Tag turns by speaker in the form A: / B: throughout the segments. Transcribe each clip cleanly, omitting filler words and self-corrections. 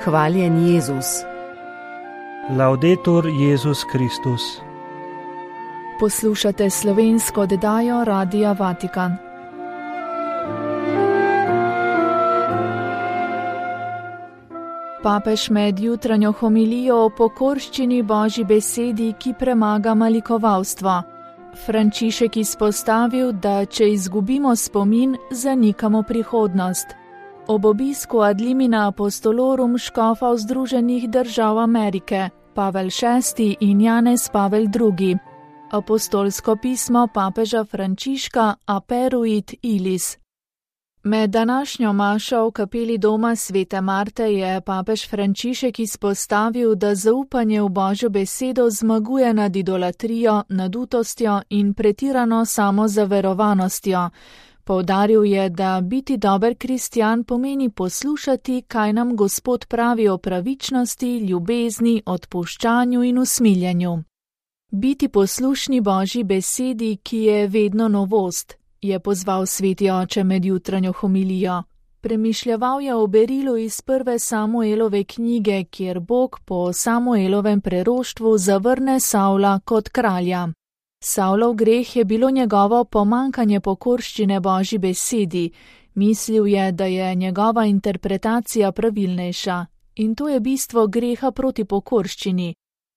A: Hvaljen Jezus.
B: Laudetur Jezus Kristus.
C: Poslušate slovensko oddajo Radia Vatikan. Papež med jutranjo homilijo o pokorščini Božji besedi, ki premaga malikovalstvo. Frančišek izpostavil, da če izgubimo spomin, zanikamo prihodnost. Ob obisku ad limina apostolorum škofov Združenih držav Amerike, Pavel VI in Janez Pavel II. Apostolsko pismo papeža Frančiška Aperuit Ilis. Med današnjo mašo v kapeli doma Svete Marte je papež Frančišek izpostavil, da zaupanje v Božjo besedo zmaguje nad idolatrijo, nadutostjo in pretirano samozaverovanostjo. Poudaril je, da biti dober kristjan pomeni poslušati, kaj nam Gospod pravi o pravičnosti, ljubezni, odpuščanju in usmiljenju. Biti poslušni Božji besedi, ki je vedno novost, je pozval sveti oče med jutranjo homilijo. Premišljeval je o berilu iz prve Samuelove knjige, kjer Bog po Samuelovem preroštvu zavrne Savla kot kralja. Savlov greh je bilo njegovo pomankanje pokorščine Božji besedi. Mislil je, da je njegova interpretacija pravilnejša. In to je bistvo greha proti pokorščini.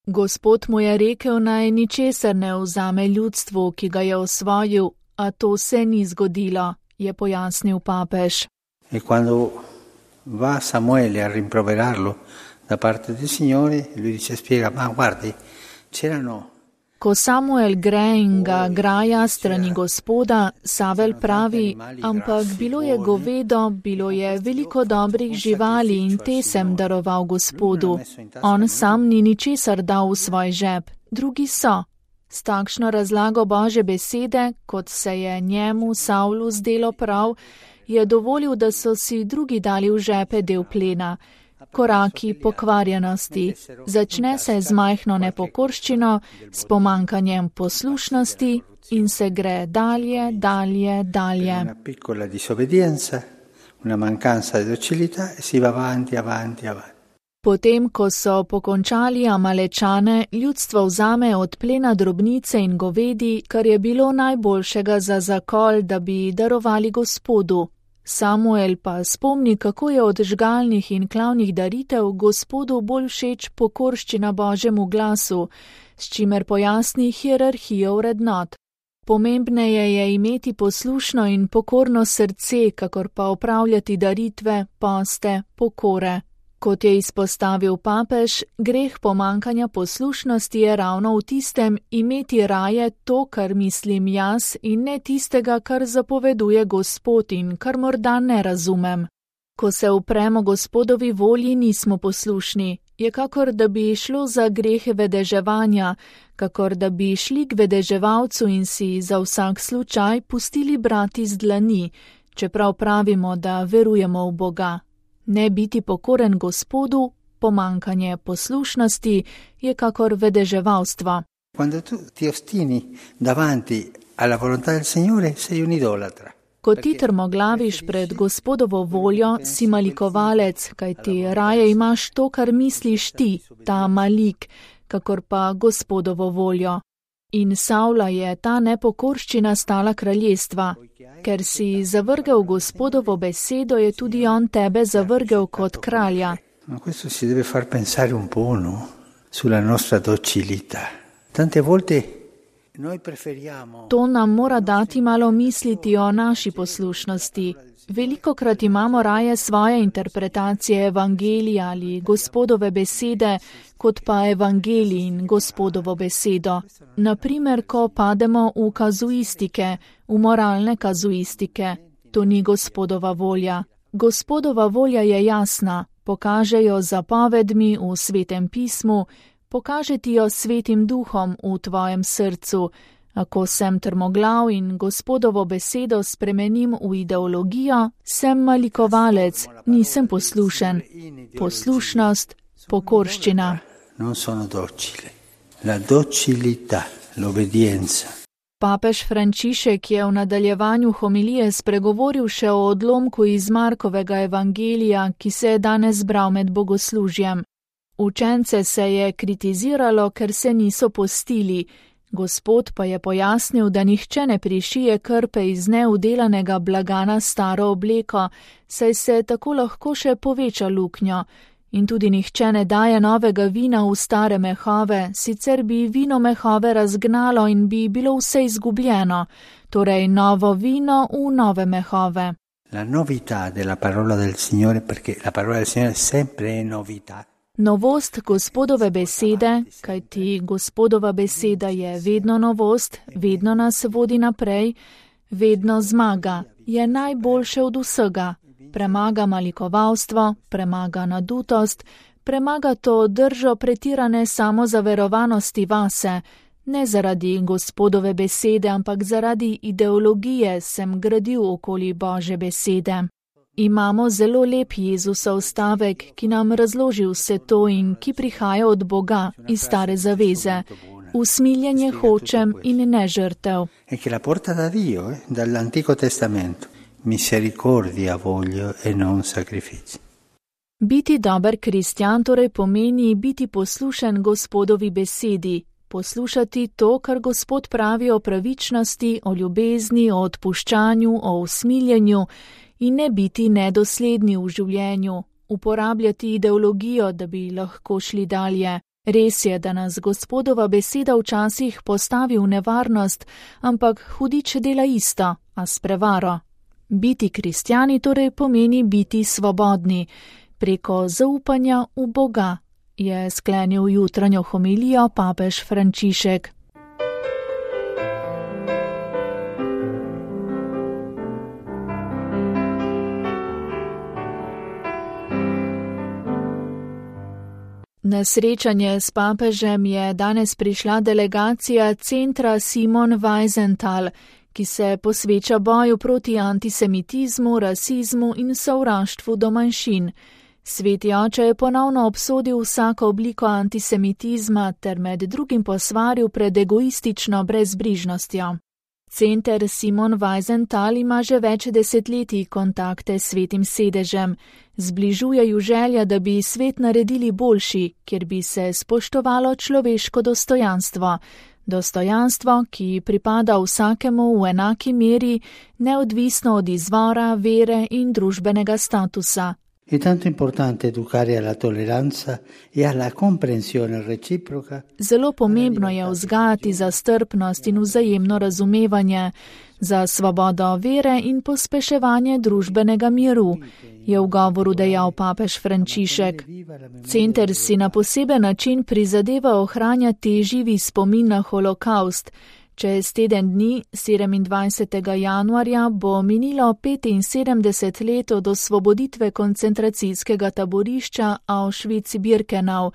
C: Gospod mu je rekel, naj ničesar ne vzame ljudstvu, ki ga je osvojil, a to se ni zgodilo, je pojasnil papež.
D: E quando va Samuele a rimproverarlo da parte del Signore, lui dice, spiega, ma guardi, c'erano...
C: Ko Samuel gre in ga graja strani Gospoda, Savel pravi, ampak bilo je govedo, bilo je veliko dobrih živali in te sem daroval Gospodu. On sam ni ničesar dal v svoj žep, drugi so. S takšno razlago Božje besede, kot se je njemu, Savlu, zdelo prav, je dovolil, da so si drugi dali v žepe del plena. Koraki pokvarjenosti. Začne se z majhno nepokorščino, s pomankanjem poslušnosti in se gre dalje, dalje, dalje.
D: Una piccola disobbedienza, una mancanza di docilità e si va avanti, avanti, avanti.
C: Potem, ko so pokončali Amalečane, ljudstvo vzame od plena drobnice in govedi, kar je bilo najboljšega za zakol, da bi darovali Gospodu. Samuel pa spomni, kako je od žgalnih in klavnih daritev Gospodu bolj všeč pokorščina Božjemu glasu, s čimer pojasni hierarhijo vrednot. Pomembneje je imeti poslušno in pokorno srce, kakor pa opravljati daritve, poste, pokore. Kot je izpostavil papež, greh pomankanja poslušnosti je ravno v tistem imeti raje to, kar mislim jaz, in ne tistega, kar zapoveduje Gospod in kar morda ne razumem. Ko se upremo Gospodovi volji, nismo poslušni. Je kakor, da bi šlo za grehe vedeževanja, kakor da bi šli k vedeževalcu in si za vsak slučaj pustili brati z dlani, čeprav pravimo, da verujemo v Boga. Ne biti pokoren Gospodu, pomankanje poslušnosti, je kakor vedeževalstvo.
D: Quando tu ti ostini davanti alla volontà del Signore, sei un idolatra.
C: Ko ti trmoglaviš pred Gospodovo voljo, si malikovalec, kajti raje imaš to, kar misliš ti, ta malik, kakor pa Gospodovo voljo. In Savla je ta nepokorščina stala kraljestva. Ker si zavrgel Gospodovo besedo, je tudi on tebe zavrgel kot kralja.
D: Ma questo si deve far pensare un po', no? Sulla nostra docilità. Tante volte noi preferiamo...
C: To nam mora dati malo misliti o naši poslušnosti. Velikokrat imamo raje svoje interpretacije evangelija ali Gospodove besede, kot pa evangelij in Gospodovo besedo. Naprimer, ko pademo v kazuistike, v moralne kazuistike. To ni Gospodova volja. Gospodova volja je jasna, pokažejo zapovedmi v Svetem pismu, pokažeti jo Svetim duhom v tvojem srcu. Ako sem trmoglav in Gospodovo besedo spremenim v ideologijo, sem malikovalec, nisem poslušen. Poslušnost, pokorščina.
D: Non sono docile. La docilità, l'obbedienza.
C: Papež Frančišek je v nadaljevanju homilije spregovoril še o odlomku iz Markovega evangelija, ki se je danes bral med bogoslužjem. Učence se je kritiziralo, ker se niso postili. Gospod pa je pojasnil, da nihče ne prišije krpe iz neudelanega blaga na staro obleko, saj se tako lahko še poveča luknjo. In tudi nihče ne daje novega vina v stare mehove, sicer bi vino mehove razgnalo in bi bilo vse izgubljeno, torej novo vino v nove mehove.
D: La novità della parola del Signore, perché la parola del Signore sempre è novità.
C: Novost Gospodove besede, kajti Gospodova beseda je vedno novost, vedno nas vodi naprej, vedno zmaga, je najboljše od vsega. Premaga malikovalstvo, premaga nadutost, premaga to držo pretirane samozaverovanosti vase, ne zaradi Gospodove besede, ampak zaradi ideologije sem gradil okoli Božje besede. Imamo zelo lep Jezusov stavek, ki nam razloži vse to in ki prihaja od Boga iz stare zaveze. Usmiljenje hočem in ne žrtev.
D: E che la porta da Dio, dall'Antico Testamento. Misericordia voglio e non sacrifici.
C: Biti dober kristjan torej pomeni biti poslušen Gospodovi besedi, poslušati to, kar Gospod pravi o pravičnosti, o ljubezni, o odpuščanju, o usmiljenju in ne biti nedosledni v življenju, uporabljati ideologijo, da bi lahko šli dalje. Res je, da nas Gospodova beseda včasih postavi v nevarnost, ampak hudič dela isto, a s prevaro. Biti kristjani torej pomeni biti svobodni, preko zaupanja v Boga, je sklenil jutranjo homilijo papež Frančišek. Na srečanje s papežem je danes prišla delegacija centra Simon Wiesenthal, ki se posveča boju proti antisemitizmu, rasizmu in sovraštvu do manjšin. Sveti oče je ponovno obsodil vsako obliko antisemitizma ter med drugim posvaril pred egoistično brezbrižnostjo. Center Simon Wiesenthal ima že več desetletij kontakte s svetim sedežem. Zbližuje ju želja, da bi svet naredili boljši, kjer bi se spoštovalo človeško dostojanstvo. Dostojanstvo, ki pripada vsakemu v enaki meri, neodvisno od izvora, vere in družbenega statusa.
D: È tanto importante educare alla tolleranza e alla comprensione reciproca.
C: Zelo pomembno je vzgajati za strpnost in vzajemno razumevanje, za svobodo vere in pospeševanje družbenega miru, je v govoru dejal papež Frančišek. Center si na poseben način prizadeva ohranjati živi spomin na holokaust. Čez teden dni, 27. januarja, bo minilo 75 let od osvoboditve koncentracijskega taborišča Auschwitz-Birkenau,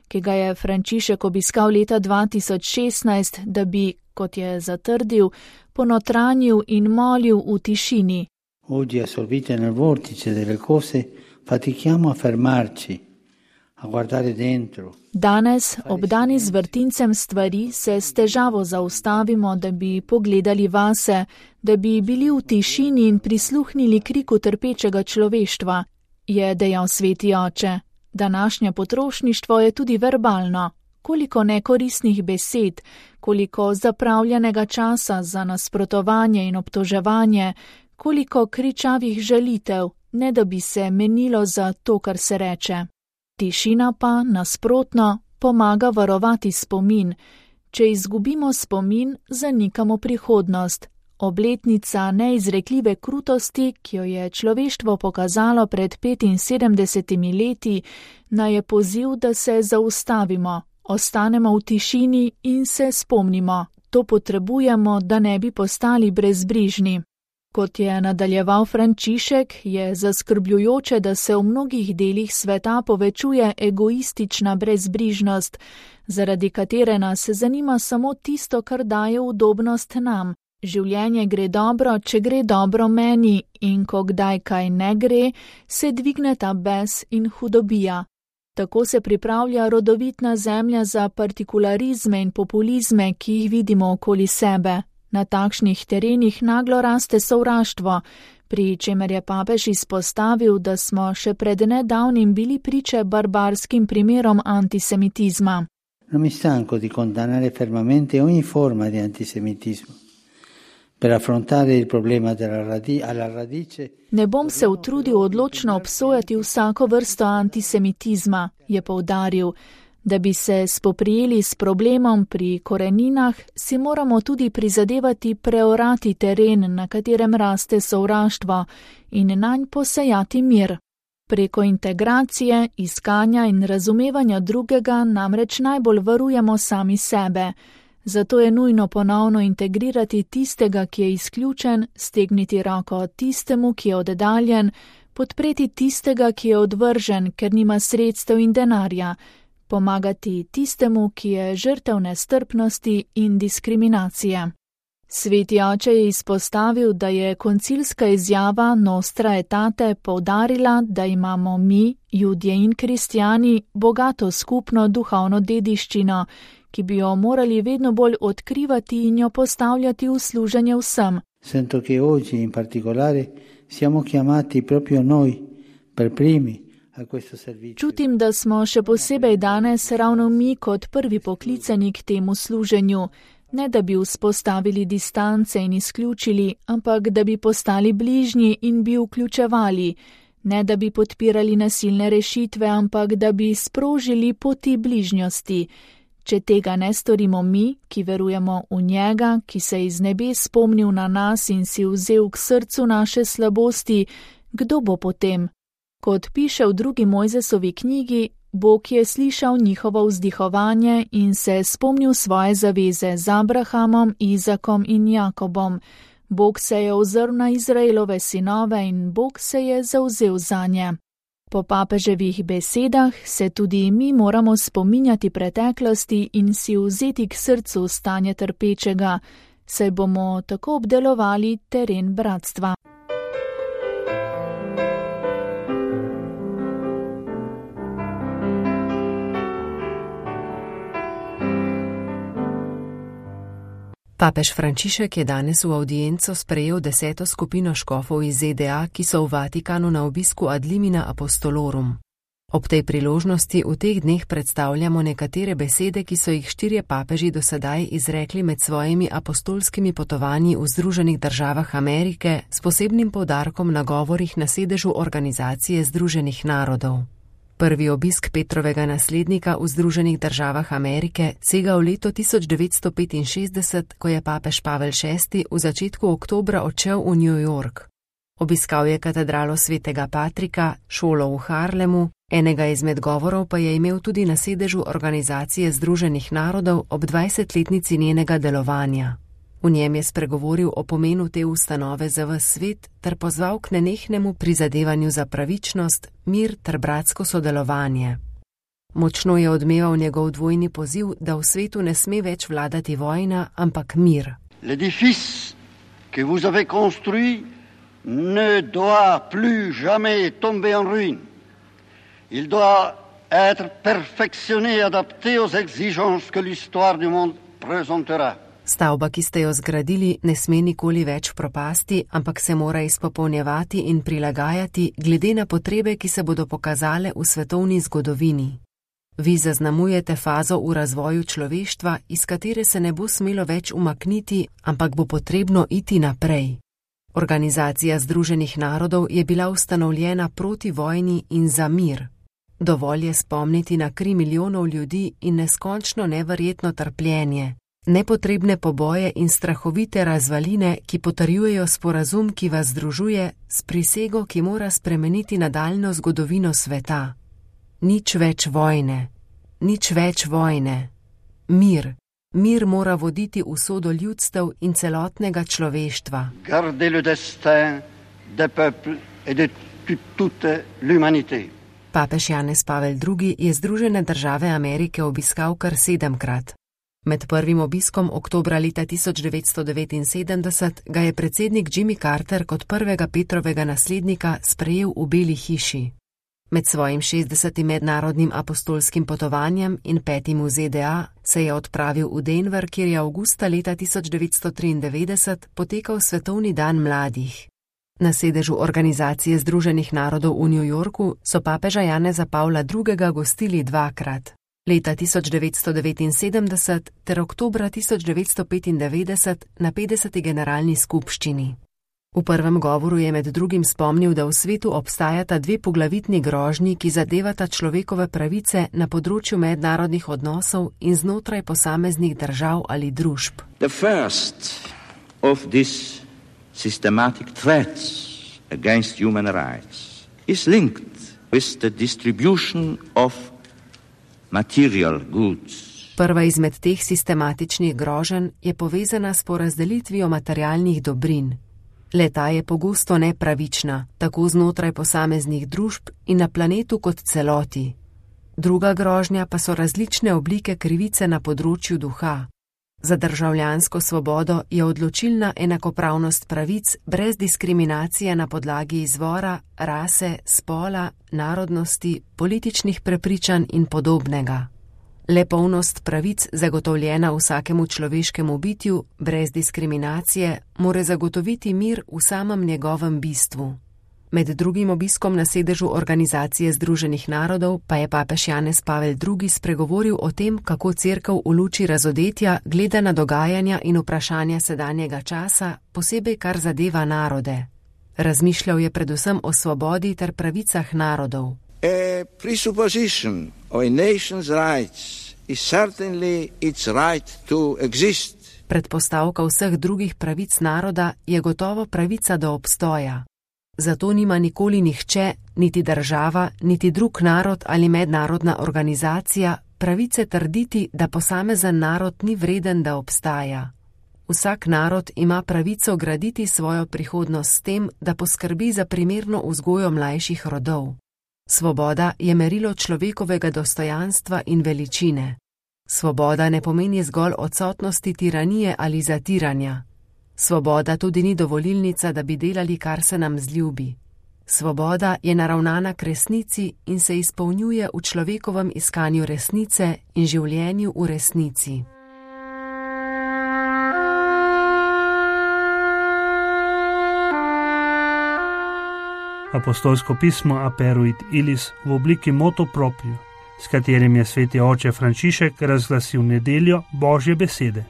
C: ki ga je Frančišek obiskal leta 2016, da bi, kot je zatrdil, ponotranjil in molil v tišini.
D: Oggi assorbiti nel vortice delle cose, fatichiamo a fermarci.
C: Danes, obdani z vrtincem stvari, se s težavo zaustavimo, da bi pogledali vase, da bi bili v tišini in prisluhnili kriku trpečega človeštva, je dejal sveti oče. Današnje potrošništvo je tudi verbalno. Koliko nekoristnih besed, koliko zapravljenega časa za nasprotovanje in obtoževanje, koliko kričavih žalitev, ne da bi se menilo za to, kar se reče. Tišina pa, nasprotno, pomaga varovati spomin. Če izgubimo spomin, zanikamo prihodnost. Obletnica neizrekljive krutosti, ki jo je človeštvo pokazalo pred 75 leti, naj je poziv, da se zaustavimo, ostanemo v tišini in se spomnimo. To potrebujemo, da ne bi postali brezbrižni. Kot je nadaljeval Frančišek, je zaskrbljujoče, da se v mnogih delih sveta povečuje egoistična brezbrižnost, zaradi katere nas zanima samo tisto, kar daje udobnost nam. Življenje gre dobro, če gre dobro meni, in ko kdaj kaj ne gre, se dvigneta bes in hudobija. Tako se pripravlja rodovitna zemlja za partikularizme in populizme, ki jih vidimo okoli sebe. Na takšnih terenih naglo raste sovraštvo, pri čemer je papež izpostavil, da smo še pred nedavnim bili priče barbarskim primerom antisemitizma.
D: Non mi stanco di condannare fermamente ogni forma di antisemitismo. Per affrontare il problema alla radice.
C: Ne bom se utrudil odločno obsojati vsako vrsto antisemitizma, je poudaril. Da bi se spoprijeli s problemom pri koreninah, si moramo tudi prizadevati preorati teren, na katerem raste sovraštvo, in nanj posejati mir. Preko integracije, iskanja in razumevanja drugega namreč najbolj varujemo sami sebe. Zato je nujno ponovno integrirati tistega, ki je izključen, stegniti roko tistemu, ki je oddaljen, podpreti tistega, ki je odvržen, ker nima sredstev in denarja, pomagati tistemu, ki je žrtev nestrpnosti in diskriminacije. Sveti oče je izpostavil, da je koncilska izjava Nostra Aetate poudarila, da imamo mi, Judje in kristjani, bogato skupno duhovno dediščino, ki bi jo morali vedno bolj odkrivati in jo postavljati v služenje vsem.
D: Sento che oggi in particolare siamo chiamati proprio noi per primi.
C: Čutim, da smo še posebej danes ravno mi kot prvi poklicani k temu služenju, ne da bi vzpostavili distance in izključili, ampak da bi postali bližnji in bi vključevali, ne da bi podpirali nasilne rešitve, ampak da bi sprožili poti bližnjosti. Če tega ne storimo mi, ki verujemo v njega, ki se je iz nebes spomnil na nas in si vzel k srcu naše slabosti, kdo bo potem? Kot piše v 2. Mojzesovi knjigi, Bog je slišal njihovo vzdihovanje in se spomnil svoje zaveze z Abrahamom, Izakom in Jakobom. Bog se je ozrl na Izraelove sinove in Bog se je zavzel zanje. Po papeževih besedah se tudi mi moramo spominjati preteklosti in si vzeti k srcu stanje trpečega, saj bomo tako obdelovali teren bratstva.
A: Papež Frančišek je danes v avdienco sprejel 10. skupino škofov iz ZDA, ki so v Vatikanu na obisku ad limina apostolorum. Ob tej priložnosti v teh dneh predstavljamo nekatere besede, ki so jih 4 papeži do sedaj izrekli med svojimi apostolskimi potovanji v Združenih državah Amerike s posebnim poudarkom na govorih na sedežu Organizacije Združenih narodov. Prvi obisk Petrovega naslednika v Združenih državah Amerike sega v leto 1965, ko je papež Pavel VI v začetku oktobra odšel v New York. Obiskal je katedralo svetega Patrika, šolo v Harlemu, enega izmed govorov pa je imel tudi na sedežu Organizacije Združenih narodov ob 20-letnici njenega delovanja. V njem je spregovoril o pomenu te ustanove za ves svet ter pozval k nenehnemu prizadevanju za pravičnost, mir ter bratsko sodelovanje. Močno je odmeval njegov dvojni poziv, da v svetu ne sme več vladati vojna, ampak mir.
B: L'édifice que vous avez construit ne doit plus jamais tomber en ruine. Il doit être perfectionné et adapté aux exigences que l'histoire du monde présentera.
A: Stavba, ki ste jo zgradili, ne sme nikoli več propasti, ampak se mora izpopolnjevati in prilagajati glede na potrebe, ki se bodo pokazale v svetovni zgodovini. Vi zaznamujete fazo v razvoju človeštva, iz katere se ne bo smelo več umakniti, ampak bo potrebno iti naprej. Organizacija Združenih narodov je bila ustanovljena proti vojni in za mir. Dovolj je spomniti na 3 milijonov ljudi in neskončno neverjetno trpljenje. Nepotrebne poboje in strahovite razvaline, ki potrjujejo sporazum, ki vas združuje, s prisego, ki mora spremeniti nadaljnjo zgodovino sveta. Nič več vojne. Nič več vojne. Mir. Mir mora voditi usodo ljudstev in celotnega človeštva.
B: Garder le destin des peuples et de toute l'humanité.
A: Papež Janez Pavel II je Združene države Amerike obiskal kar 7-krat. Med prvim obiskom oktobra leta 1979 ga je predsednik Jimmy Carter kot prvega Petrovega naslednika sprejel v Beli hiši. Med svojim 60. mednarodnim apostolskim potovanjem in 5. v ZDA se je odpravil v Denver, kjer je avgusta leta 1993 potekal Svetovni dan mladih. Na sedežu Organizacije Združenih narodov v New Yorku so papeža Janeza Pavla II. Gostili dvakrat, leta 1979 ter oktobra 1995 na 50. generalni skupščini. V prvem govoru je med drugim spomnil, da v svetu obstajata dve poglavitni grožnji, ki zadevata človekove pravice na področju mednarodnih odnosov in znotraj posameznih držav ali družb.
E: The first of these systematic threats against human rights is linked with the distribution of material goods.
A: Prva izmed teh sistematičnih groženj je povezana s porazdelitvijo materialnih dobrin. Le-ta je pogosto nepravična, tako znotraj posameznih družb in na planetu kot celoti. Druga grožnja pa so različne oblike krivice na področju duha. Za državljansko svobodo je odločilna enakopravnost pravic brez diskriminacije na podlagi izvora, rase, spola, narodnosti, političnih prepričanj in podobnega. Le polnost pravic, zagotovljena vsakemu človeškemu bitju, brez diskriminacije, more zagotoviti mir v samem njegovem bistvu. Med drugim obiskom na sedežu Organizacije Združenih narodov pa je papež Janez Pavel II. Spregovoril o tem, kako Cerkev v luči razodetja gleda na dogajanja in vprašanja sedanjega časa, posebej kar zadeva narode. Razmišljal je predvsem o svobodi ter pravicah narodov.
E: A presupposition of a nation's rights is certainly its right to exist.
A: Predpostavka vseh drugih pravic naroda je gotovo pravica do obstoja. Zato nima nikoli nihče, niti država, niti drug narod ali mednarodna organizacija pravice trditi, da posamezen narod ni vreden, da obstaja. Vsak narod ima pravico graditi svojo prihodnost s tem, da poskrbi za primerno vzgojo mlajših rodov. Svoboda je merilo človekovega dostojanstva in veličine. Svoboda ne pomeni zgolj odsotnosti tiranije ali zatiranja. Svoboda tudi ni dovolilnica, da bi delali, kar se nam zljubi. Svoboda je naravnana k resnici in se izpolnjuje v človekovem iskanju resnice in življenju v resnici.
F: Apostolsko pismo Aperuit Illis v obliki motu proprio, s katerim je sveti oče Frančišek razglasil nedeljo Božje besede.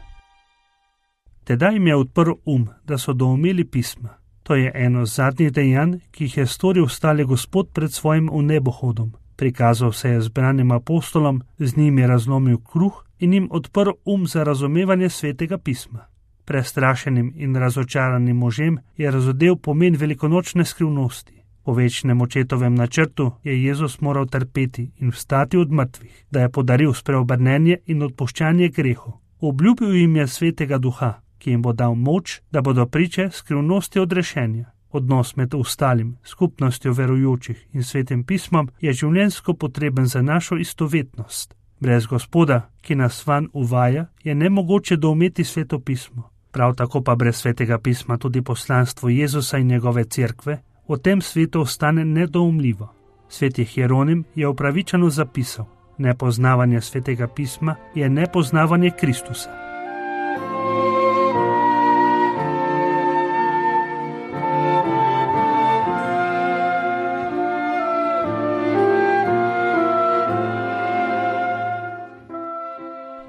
F: Tedaj jim je odprl da so doumeli pisma. To je eno zadnjih dejanj, ki jih je storil stali Gospod pred svojim vnebohodom. Prikazal se je zbranim apostolom, z njimi razlomil kruh in jim odprl za razumevanje svetega pisma. Prestrašenim in razočaranim možem je razodel pomen velikonočne skrivnosti. Po večnem očetovem načrtu je Jezus moral trpeti in vstati od mrtvih, da je podaril spreobrnenje in odpuščanje grehov. Obljubil jim je svetega duha, ki jim bo dal moč, da bodo priče skrivnosti odrešenja. Odnos med ostalim, skupnostjo verujočih in svetim pismom je življenjsko potreben za našo istovetnost. Brez Gospoda, ki nas vanj uvaja, je nemogoče doumeti sveto pismo. Prav tako pa brez svetega pisma tudi poslanstvo Jezusa in njegove cerkve v tem svetu ostane nedoumljivo. Sveti Hieronim je upravičeno zapisal: nepoznavanje svetega pisma je nepoznavanje Kristusa.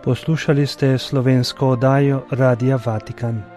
G: Poslušali ste slovensko oddajo Radia Vatikan.